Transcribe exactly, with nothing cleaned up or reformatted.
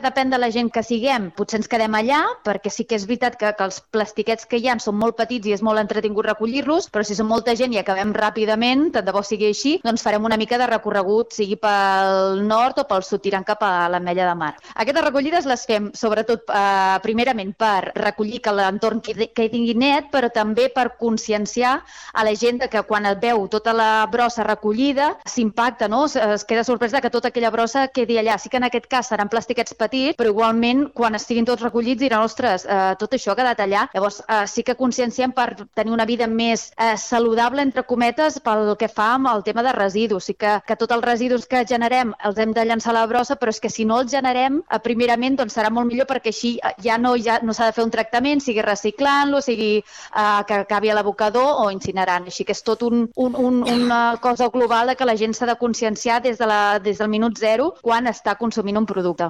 Depèn de la gent que siguem, potser ens quedem allà, perquè sí que és veritat que, que els plastiquets que hi ha són molt petits i és molt entretingut recollir-los, però si som molta gent i acabem ràpidament, tant de bo sigui així, doncs farem una mica de recorregut, sigui pel nord o pel sud, tirant cap a l'Ametlla de Mar. Aquestes recollides les fem, sobretot, eh, primerament per recollir que l'entorn quedi net, però també per conscienciar a la gent que quan et veu tota la brossa recollida s'impacta, no? Es, es queda sorpresa que tota aquella brossa quedi allà. Sí que en aquest cas seran plastiquets petits, però igualment quan estiguin tots recollits diran, ostres, eh, tot això ha quedat allà. Llavors eh, sí que conscienciem per tenir una vida més eh, saludable, entre cometes, pel que fa amb el tema de residus. Sí que, que tots els residus que generem els hem de llançar a la brossa, però és que si no els generem, eh, primerament doncs serà molt millor perquè així ja no, ja no s'ha de fer un tractament, sigui reciclant-lo, sigui eh, que acabi a l'abocador o incinerant. Així que és tot un, un, un, una cosa global que la gent s'ha de conscienciar des, de la, des del minut zero quan està consumint un producte.